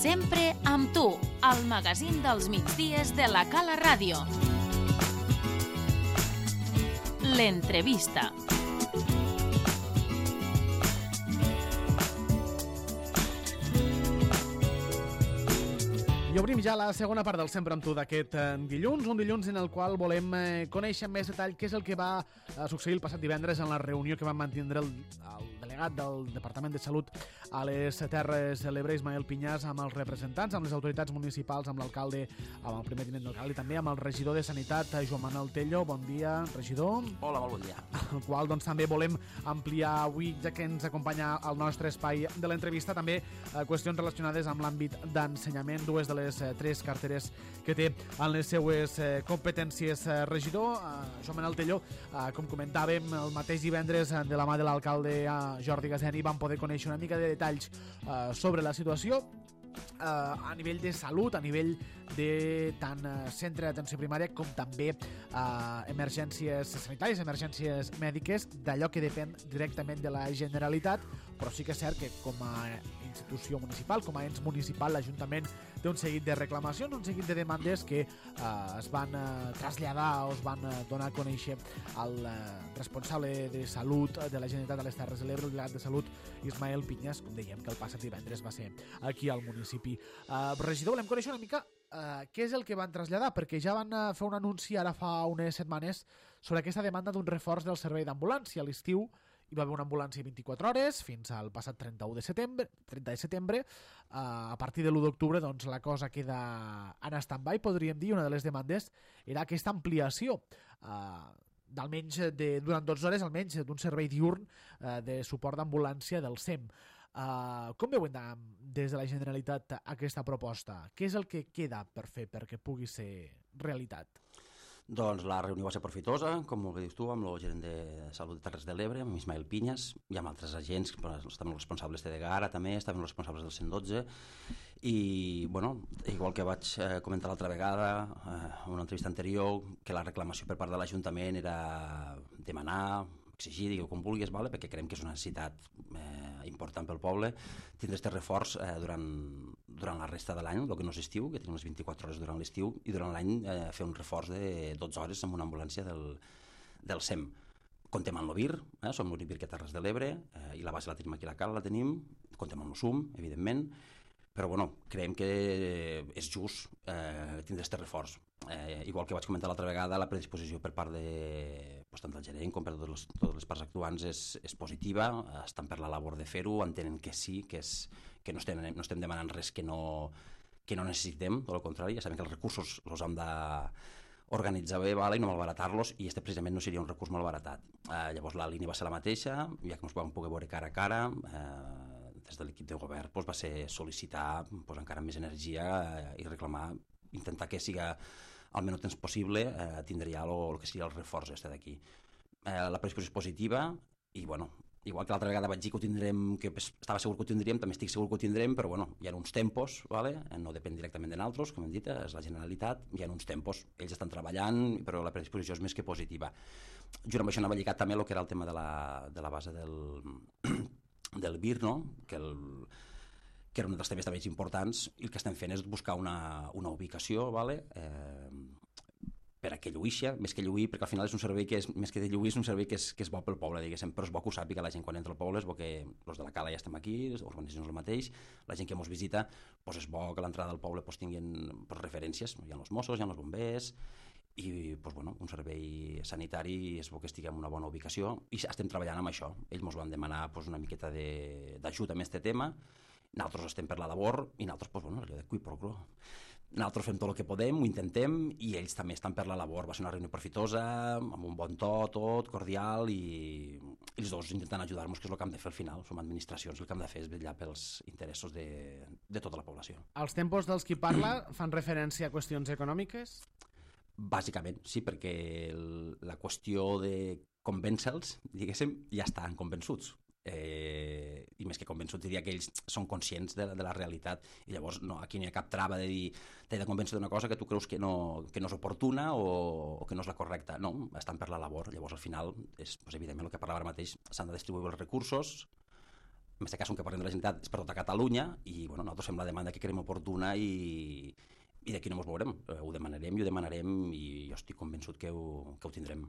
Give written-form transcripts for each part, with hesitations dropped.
Sempre amb tu, al magazín dels migdies de la Cala Ràdio. L'entrevista. I obrim ja la segona part del Sempre amb tu d'aquest dilluns, un dilluns en el qual volem conèixer amb més detall què és el que va succeir el passat divendres en la reunió que van mantenir el delegat del Departament de Salut a les Terres de l'Ebre, Ismael Piñas, amb els representants, amb les autoritats municipals, amb l'alcalde, amb el primer tinent d'alcalde i també amb el regidor de Sanitat, Joan Manuel Tello. Bon dia, regidor. Hola, molt bon dia. El qual doncs, també volem ampliar avui, ja que ens acompanya al nostre espai de l'entrevista, també qüestions relacionades amb l'àmbit d'ensenyament, dues de les tres carteres que té en les seues competències. Regidor, Joan Manuel Tello, com comentàvem, el mateix divendres de la mà de l'alcalde Jordi Gaseni vam poder conèixer una mica de detalls sobre la situació a nivell de salut, a nivell de tant centre d'atenció primària com també emergències sanitàries, emergències mèdiques, d'allò que depèn directament de la Generalitat, però sí que és cert que com a institució municipal, com a ens municipal, l'Ajuntament té un seguit de reclamacions, un seguit de demandes que es van traslladar o es van donar a conèixer al responsable de salut de la Generalitat de les Terres de l'Ebre, el delegat de Salut, Ismael Piñas, com dèiem que el passat divendres va ser aquí al municipi. Regidor, volem conèixer una mica què és el que van traslladar, perquè ja van fer un anunci ara fa unes setmanes sobre aquesta demanda d'un reforç del servei d'ambulància. A l'estiu hi va haver una ambulància 24 hores fins al passat 30 de setembre. A partir de l'1 d'octubre doncs, la cosa queda en stand-by, podríem dir. Una de les demandes era aquesta ampliació d'almenys durant 12 hores, almenys d'un servei diürn de suport d'ambulància del SEM. Com veuen des de la Generalitat aquesta proposta? Què és el que queda per fer perquè pugui ser realitat? Doncs la reunió va ser profitosa, com molt bé dius tu, amb el gerent de Salut de Terres de l'Ebre, amb Ismael Piñas, i amb altres agents, estaven els responsables de Degara també, estaven els responsables del 112, i, bueno, igual que vaig comentar l'altra vegada, en una entrevista anterior, que la reclamació per part de l'Ajuntament era demanar, exigir, digueu com vulguis, vale? Perquè creiem que és una necessitat important pel poble, tindre aquest reforç durant la resta de l'any, el que no és estiu, que tenim les 24 hores durant l'estiu, i durant l'any fer un reforç de 12 hores amb una ambulància del SEM. Contem amb l'OVIR, som l'únic VIR que a Terres de l'Ebre, i la base la tenim aquí a la Cala, la tenim, contem amb el SUM, evidentment, però bueno, creiem que és just tindre aquest reforç. Igual que vaig comentar l'altra vegada, la predisposició per part tant del gerent com per totes les parts actuants és positiva, estan per la labor de fer-ho, entenen que sí, que no estem demanant res que no necessitem, tot el contrari, ja sabem que els recursos els hem d'organitzar bé, i no malbaratar-los, i este precisament no seria un recurs malbaratat. Llavors la línia va ser la mateixa, ja que ens vam poder veure cara a cara, des de l'equip de govern va ser sol·licitar encara més energia i reclamar, intentar que siga al menys temps possible tindre ja el que seria el reforç d'aquí. La predisposició és positiva i, bueno, igual que l'altra vegada vaig dir que ho tindrem, que estava segur que ho tindríem, també estic segur que ho tindrem, però bueno, hi ha uns tempos, no depèn directament de nosaltres, com hem dit, és la Generalitat, hi ha uns tempos, ells estan treballant, però la predisposició és més que positiva. Junt amb això anava lligat també el que era el tema de la base del VIR, no? que era un dels temes també importants, i el que estem fent és buscar una ubicació per a que lluïxa, més que lluir, perquè al final és un servei que és, més que de lluir, és un servei que és bo pel poble, diguéssim, però és bo que ho sàpiga la gent quan entra al poble, és bo que els de la Cala ja estem aquí, les organitzacions el mateix, la gent que ens visita, és bo que a l'entrada del poble tinguin referències, hi ha els Mossos, hi ha els bombers, i un servei sanitari és bo que estiguem en una bona ubicació, i estem treballant amb això. Ells ens van demanar una miqueta d'ajut amb aquest tema, nosaltres estem per la labor, i nosaltres, allò de qui pro quo. Nosaltres fem tot el que podem, ho intentem, i ells també estan per la labor. Va ser una reunió profitosa, amb un bon to, tot, cordial, i els dos intentant ajudar-nos, que és el que hem de fer al final. Som administracions, el que hem de fer és vetllar pels interessos de tota la població. Els tempos dels qui parla fan referència a qüestions econòmiques? Bàsicament, sí, perquè la qüestió de convèncer-los, diguéssim, ja estan convençuts. I més que convençuts diria que ells són conscients de la realitat, i llavors aquí no hi ha cap trava de dir t'he de convèncer d'una cosa que tu creus que no és oportuna o que no és la correcta. No, estan per la labor. Llavors al final és evidentment el que parlava ara mateix, s'han de distribuir els recursos en aquest cas un que parlem de la Generalitat és per tota Catalunya i bueno, nosaltres fem la demanda que creiem oportuna i d'aquí no ens veurem, ho demanarem i jo estic convençut que ho tindrem.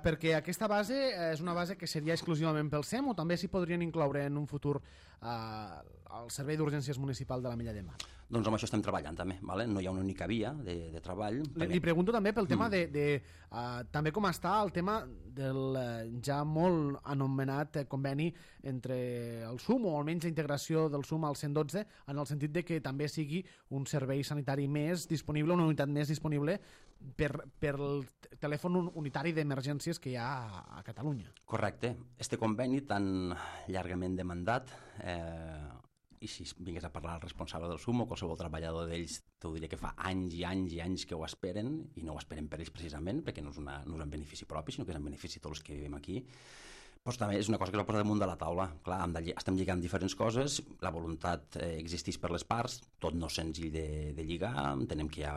Perquè aquesta base és una base que seria exclusivament pel SEM o també s'hi podrien incloure en un futur al Servei d'Urgències Municipal de la Mella de Mar? Doncs amb això estem treballant també, vale? No hi ha una única via de treball. Li pregunto també pel tema també com està el tema del ja molt anomenat conveni entre el SUM, o almenys la integració del SUM al 112, en el sentit de que també sigui un servei sanitari més disponible, una unitat més disponible per el telèfon unitari d'emergències que hi ha a Catalunya. Correcte. Este conveni tan llargament demandat, i si vingués a parlar el responsable del SUM o qualsevol treballador d'ells, t'ho diria que fa anys i anys i anys que ho esperen, i no ho esperen per ells precisament, perquè no és en benefici propi, sinó que és en benefici de tots els que vivim aquí. Però també és una cosa que s'ha posat damunt de la taula. Clar, estem lligant diferents coses, la voluntat existeix per les parts, tot no és senzill de lligar, entenem que hi ha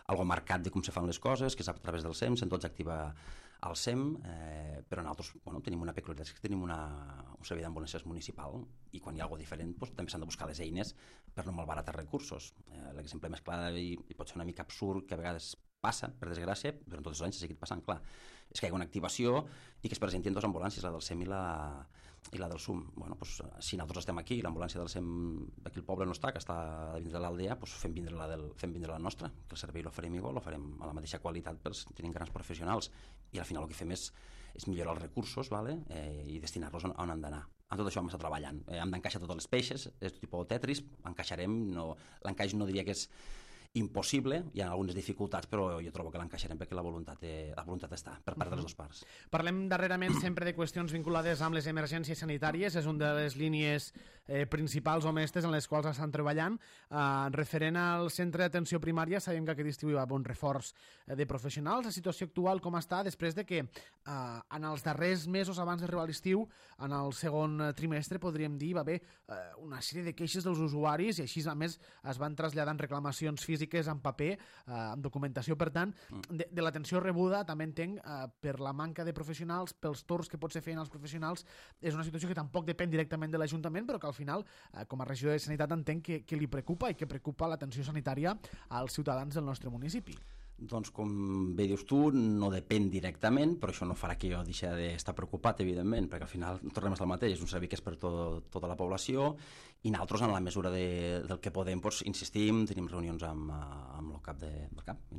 algo marcat de com se fan les coses, que és a través del SEM, se'n tots activa al SEM, però nosaltres tenim una peculiaritat, que tenim un servei d'ambulàncies municipal i quan hi ha alguna cosa diferent també s'han de buscar les eines per no malbaratar recursos. L'exemple més clar i pot ser una mica absurd, que a vegades passa, per desgràcia, durant tots els anys s'ha seguit passant, clar, és que hi ha una activació i que es presentin dues ambulàncies, la del SEM i la del SUM. Bueno, doncs, si nosaltres estem aquí, l'ambulància del SEM d'aquí el poble no està, que està a vindre a l'aldea, doncs fem vindre la nostra, que el servei l'oferim igual, l'oferim a la mateixa qualitat, perquè tenim grans professionals, i al final el que fem és millorar els recursos, vale? I destinar-los on han d'anar. En tot això hem estat treballant. Hem d'encaixar totes les peixes, és tipus Tetris, encaixarem, l'encaix no diria que és impossible, hi ha algunes dificultats, però jo trobo que l'encaixarem perquè la voluntat està per part de les dues parts. Parlem darrerament sempre de qüestions vinculades amb les emergències sanitàries, és una de les línies principals o mestres en les quals estan treballant. Referent al centre d'atenció primària, sabem que aquest estiu hi va haver un reforç de professionals. La situació actual com està després de que en els darrers mesos abans d'arribar a l'estiu, en el segon trimestre, podríem dir, va haver una sèrie de queixes dels usuaris i així, a més, es van traslladant reclamacions físiques en paper, amb documentació. Per tant, de l'atenció rebuda, també entenc, per la manca de professionals, pels torns que potser feien els professionals, és una situació que tampoc depèn directament de l'Ajuntament, però que al final, com a regidor de Sanitat, entenc que li preocupa i que preocupa l'atenció sanitària als ciutadans del nostre municipi. Doncs com bé dius tu, no depèn directament, però això no farà que jo deixi d'estar preocupat, evidentment, perquè al final tornem a estar el mateix, és un servei que és per tota la població i nosaltres, en la mesura del que podem, doncs, insistim, tenim reunions amb el cap del CAP,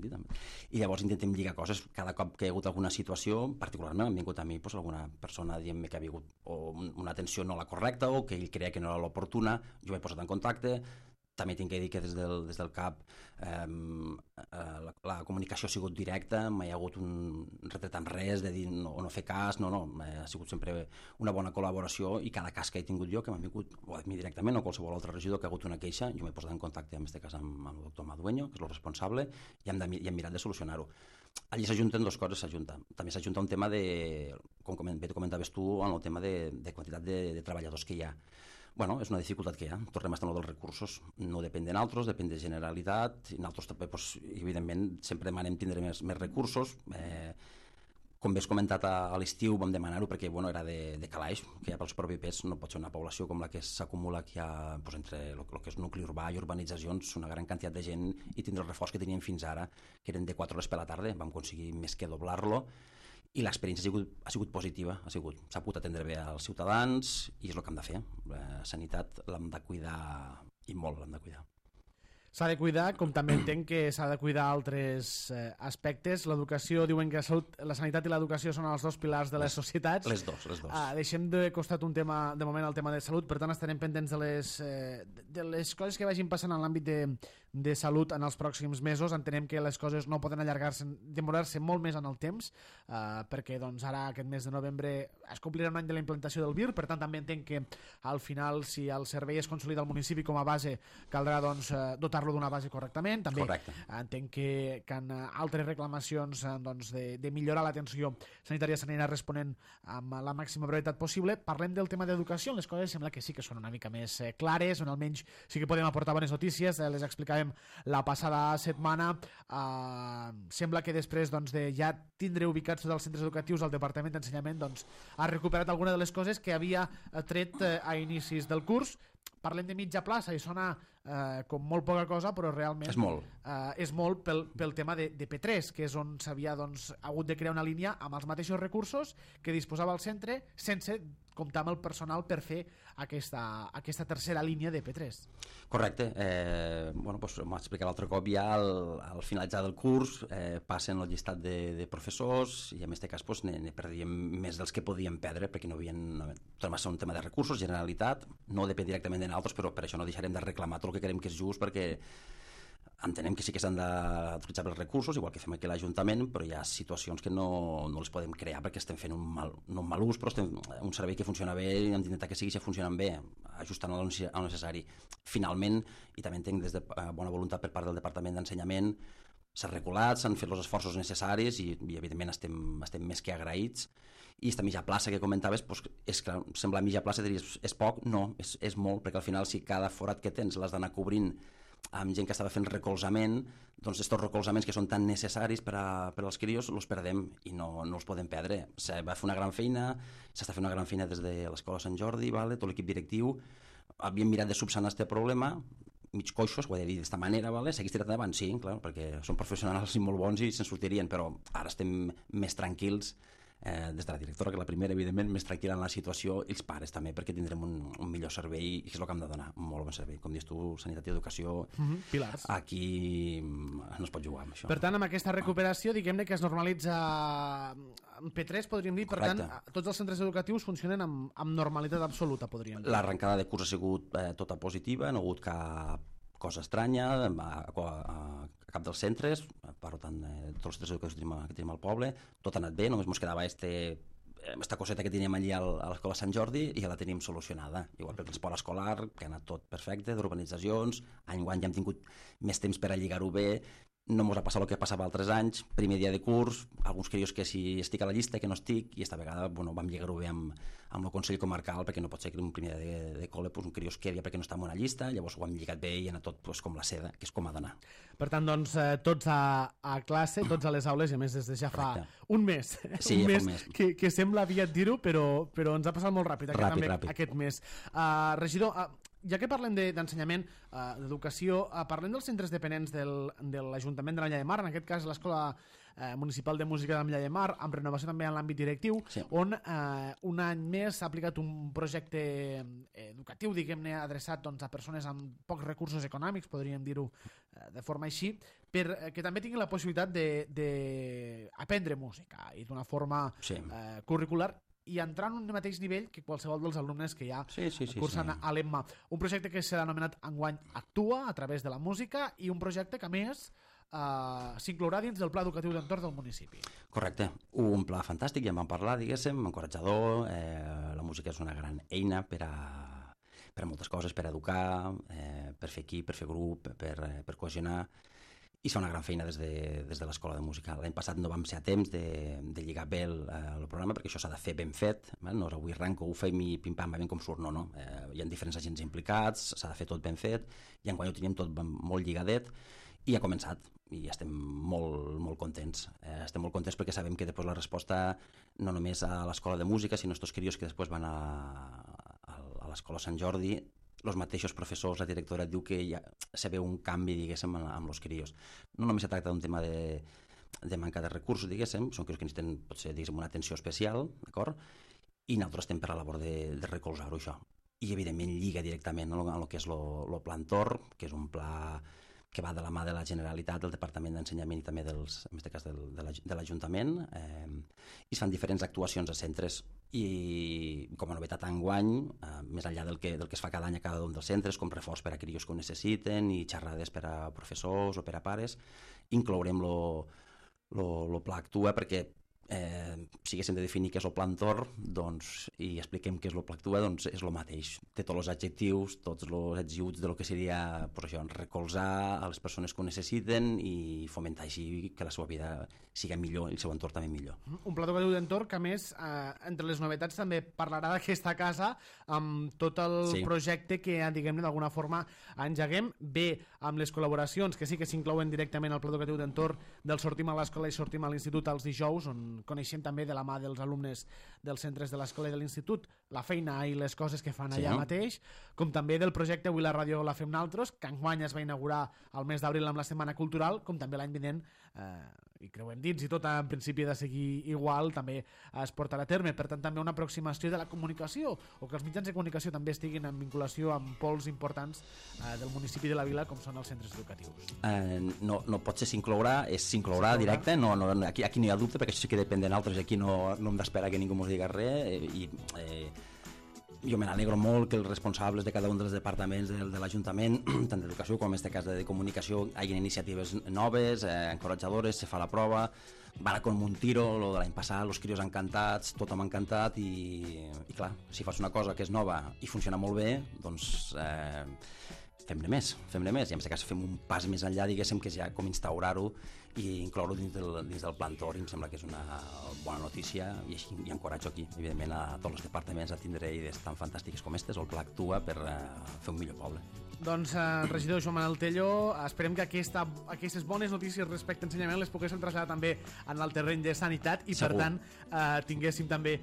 i llavors intentem lligar coses. Cada cop que hi ha hagut alguna situació, particularment han vingut a mi alguna persona dient-me que ha vingut una atenció no la correcta o que ell creia que no era l'oportuna, jo m'he posat en contacte. També tinc que dir que des del CAP la comunicació ha sigut directa, mai hi ha hagut un retret en res de dir o no fer cas, no, ha sigut sempre una bona col·laboració i cada cas que he tingut jo, que m'han vingut o a mi directament o qualsevol altre regidor que ha hagut una queixa, jo m'he posat en contacte en aquest cas amb el doctor Madueño, que és el responsable, i hem mirat de solucionar-ho. Allí s'ajunten dues coses, també s'ajunta un tema com bé comentaves tu, en el tema de quantitat de treballadors que hi ha. Bueno, és una dificultat que hi ha, tornem a estar en dels recursos, no depèn de nosaltres, depèn de Generalitat, i nosaltres també, evidentment, sempre demanem tindre més recursos. Com bé has comentat a l'estiu vam demanar-ho perquè era de calaix, que ja pels propis no pot ser una població com la que s'acumula aquí entre el que és nucli urbà i urbanitzacions, una gran quantitat de gent, i tindre el reforç que teníem fins ara, que eren de 4 hores per la tarda, vam aconseguir més que doblar-lo, i l'experiència ha sigut positiva, s'ha pogut atendre bé als ciutadans i és el que hem de fer. La sanitat l'hem de cuidar i molt l'hem de cuidar. S'ha de cuidar, com també entenc que s'ha de cuidar altres aspectes. L'educació, diuen que la sanitat i l'educació són els dos pilars de les societats. Les dos. Deixem de costat un tema, de moment, el tema de salut, per tant estarem pendents de les coses que vagin passant en l'àmbit de salut en els pròxims mesos. Entenem que les coses no poden demorar-se molt més en el temps, perquè ara aquest mes de novembre es complirà un any de la implantació del VIR, per tant també entenc que al final, si el servei es consolida al municipi com a base, caldrà dotar-lo dotar-lo d'una base correctament. També Correcte. entenc que en altres reclamacions doncs, de millorar l'atenció sanitària s'anirà responent amb la màxima brevetat possible. Parlem del tema d'educació, les coses sembla que sí que són una mica més clares, on almenys sí que podem aportar bones notícies, les explicàvem la passada setmana. Sembla que després doncs, de ja tindre ubicats tots els centres educatius, el Departament d'Ensenyament doncs, ha recuperat alguna de les coses que havia tret a inicis del curs. Parlem de mitja plaça i sona com molt poca cosa, però realment és molt pel tema de P3, que és on s'havia doncs, hagut de crear una línia amb els mateixos recursos que disposava el centre sense comptar amb el personal per fer aquesta tercera línia de P3. Correcte. Bueno, doncs, m'ho explicat l'altre cop, ja al finalitzar del curs passen el llistat de professors i en aquest cas doncs, ne perdíem més dels que podíem perdre perquè no havien... Va ser un tema de recursos, Generalitat, no depèn directament de nosaltres, però per això no deixarem de reclamar tot el que creiem que és just, perquè entenem que sí que s'han d'utilitzar els recursos, igual que fem aquí a l'Ajuntament, però hi ha situacions que no les podem crear perquè estem fent no un mal ús, però estem un servei que funciona bé i hem d'intentar que sigui funcionant bé, ajustant al necessari. Finalment, i també entenc des de bona voluntat per part del Departament d'Ensenyament, s'ha regulat, s'han fet els esforços necessaris i evidentment estem més que agraïts. I aquesta mitja plaça que comentaves, doncs, és clar, sembla mitja plaça, diries, és poc? No, és molt, perquè al final si cada forat que tens l'has d'anar cobrint amb gent que estava fent recolzament, doncs aquests recolzaments que són tan necessaris per als crios els perdem i no els podem perdre. Se va fer una gran feina, s'està fent una gran feina des de l'Escola Sant Jordi, vale? Tot l'equip directiu, havíem mirat de subsanar aquest problema, mig coixos, ho he de dir d'esta manera, vale? Seguís tirant endavant, sí, clar, perquè són professionals i molt bons i se'n sortirien, però ara estem més tranquils des de la directora, que la primera, evidentment, més tranquil·la en la situació, i els pares també, perquè tindrem un millor servei, i és el que hem de donar, un molt bon servei. Com dius tu, sanitat i educació, pilars. Aquí no es pot jugar amb això. Per tant, amb aquesta recuperació, diguem-ne que es normalitza en P3, podríem dir, per Correcte. tant, tots els centres educatius funcionen amb normalitat absoluta, podríem dir. L'arrencada de curs ha sigut tota positiva, no ha hagut cap cosa estranya a cap dels centres, per tant, tots els centres educatius que tenim al poble, tot ha anat bé, només ens quedava esta coseta que teníem allí a l'Escola Sant Jordi i ja la tenim solucionada. Igual que el transport escolar, que ha anat tot perfecte, d'urbanitzacions, any ja hem tingut més temps per a lligar-ho bé, no ens ha passat el que passava altres anys, primer dia de curs, alguns crios que si estic a la llista, que no estic, i esta vegada vam lligar-ho bé amb el Consell Comarcal, perquè no pot ser que un primer dia de col·le un crió es quedi perquè no està en una llista, llavors ho hem lligat bé i ha anat tot com la seda, que és com ha d'anar. Per tant, doncs, tots a classe, tots a les aules, i a més des de ja fa un mes, sí, un mes que sembla aviat dir-ho, però ens ha passat molt ràpid, ràpid. Aquest mes. Regidor, ja que parlem d'ensenyament, d'educació, parlem dels centres dependents de l'Ajuntament de l'Ametlla de Mar, en aquest cas l'Escola Municipal de Música de l'Ametlla de Mar, amb renovació també en l'àmbit directiu, sí. On un any més s'ha aplicat un projecte educatiu, diguem-ne, adreçat doncs, a persones amb pocs recursos econòmics, podríem dir-ho de forma així, perquè també tinguin la possibilitat d'aprendre música i d'una forma curricular i entrar en un mateix nivell que qualsevol dels alumnes que ja cursen a l'EMMA. Un projecte que serà anomenat enguany Actua, a través de la música, i un projecte que, a més, s'inclourà dins del pla educatiu d'entorn del municipi. Correcte. Un pla fantàstic, ja en vam parlar, diguéssim, encoratjador. La música és una gran eina per a moltes coses, per educar, per fer equip, per fer grup, per cohesionar, i fa una gran feina des de l'Escola de Música. L'any passat no vam ser a temps de lligar bé el programa, perquè això s'ha de fer ben fet, no és avui arranco, ho fem i pim-pam, va ben com surt, no. Hi ha diferents agents implicats, s'ha de fer tot ben fet, i enguany ho teníem tot molt lligadet, i ha començat, i estem molt contents. Estem molt contents perquè sabem que després la resposta no només a l'Escola de Música, sinó estos crios que després van a l'Escola Sant Jordi, els mateixos professors, la directora diu que ja se veu un canvi, diguéssim, amb els crios. No només se tracta d'un tema de manca de recursos, diguéssim, són crios que necessiten, potser, diguéssim, una atenció especial, d'acord? I nosaltres estem per la labor de recolzar-ho, això. I, evidentment, lliga directament amb el que és el Pla Entorn, que és un pla que va de la mà de la Generalitat, del Departament d'Ensenyament i també, en aquest cas, de l'Ajuntament, i es fan diferents actuacions a centres. I com a novetat enguany, més enllà del que es fa cada any a cada un dels centres, com reforç per a crios que ho necessiten i xerrades per a professors o per a pares, inclourem el Pla Actua perquè si haguéssim de definir què és el Pla Entorn, doncs, i expliquem què és el Pla Actua, doncs és el mateix. Té tots els adjectius, tots els adjectius de lo que seria pues això, recolzar a les persones que ho necessiten i fomentar així que la seva vida siga millor i el seu entorn també millor. Un pla educatiu d'entorn que, a més, entre les novetats també parlarà d'aquesta casa amb tot el projecte que, diguem-ne, d'alguna forma engeguem, bé amb les col·laboracions que sí que s'inclouen directament al pla educatiu d'entorn del Sortim a l'escola i Sortim a l'institut els dijous, on coneixem també de la mà dels alumnes dels centres de l'escola i de l'institut la feina i les coses que fan allà mateix, com també del projecte Avui la ràdio la fem naltros, que enguany es va inaugurar al mes d'abril amb la Setmana Cultural, com també l'any vinent, i creuem dins i tot en principi de seguir igual, també es portarà a terme. Per tant, també una aproximació de la comunicació, o que els mitjans de comunicació també estiguin en vinculació amb pols importants del municipi de la vila, com són els centres educatius. No pot ser s'inclourà directe, aquí no hi ha dubte, perquè això sí que depèn de nosaltres, aquí no hem d'esperar que ningú ens digui res, i jo me n'alegro molt que els responsables de cada un dels departaments de l'Ajuntament, tant d'educació com en aquest cas de comunicació, hagin iniciatives noves, encoratjadores, se fa la prova, van com un tiro, lo de l'any passat, els crios encantats, tothom encantat i clar, si fas una cosa que és nova i funciona molt bé, doncs fem-ne més, i en aquest cas fem un pas més enllà, diguéssim, que és ja com instaurar-ho i incloure-ho dins del Pla Entorn, i em sembla que és una bona notícia i així hi encoratjo aquí, evidentment, a tots els departaments a tindre idees tan fantàstiques com aquestes, o el Pla Actua, per fer un millor poble. Doncs, regidor Joan Manuel Tello, esperem que aquestes bones notícies respecte a ensenyament les poguéssim traslladar també en el terreny de sanitat i, per tant, tinguéssim també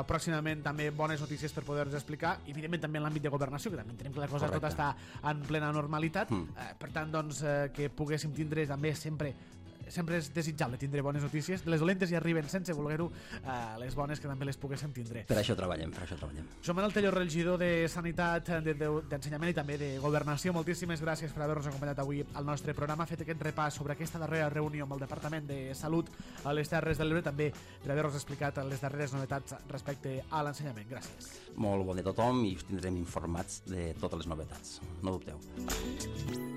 pròximament també bones notícies per poder-nos explicar, i evidentment també en l'àmbit de governació, que també entenem que la cosa tota està en plena normalitat, per tant, doncs, que poguéssim tindre també sempre és desitjable tindre bones notícies. Les dolentes ja arriben sense voler-ho, les bones que també les poguéssim tindre. Per això treballem. Joan Manuel Tello, regidor de Sanitat, d'Ensenyament i també de Governació, moltíssimes gràcies per haver-nos acompanyat avui al nostre programa, fet aquest repàs sobre aquesta darrera reunió amb el Departament de Salut a les Terres de l'Ebre, també per haver-nos explicat les darreres novetats respecte a l'ensenyament. Gràcies. Molt bon dia a tothom i us tindrem informats de totes les novetats. No dubteu.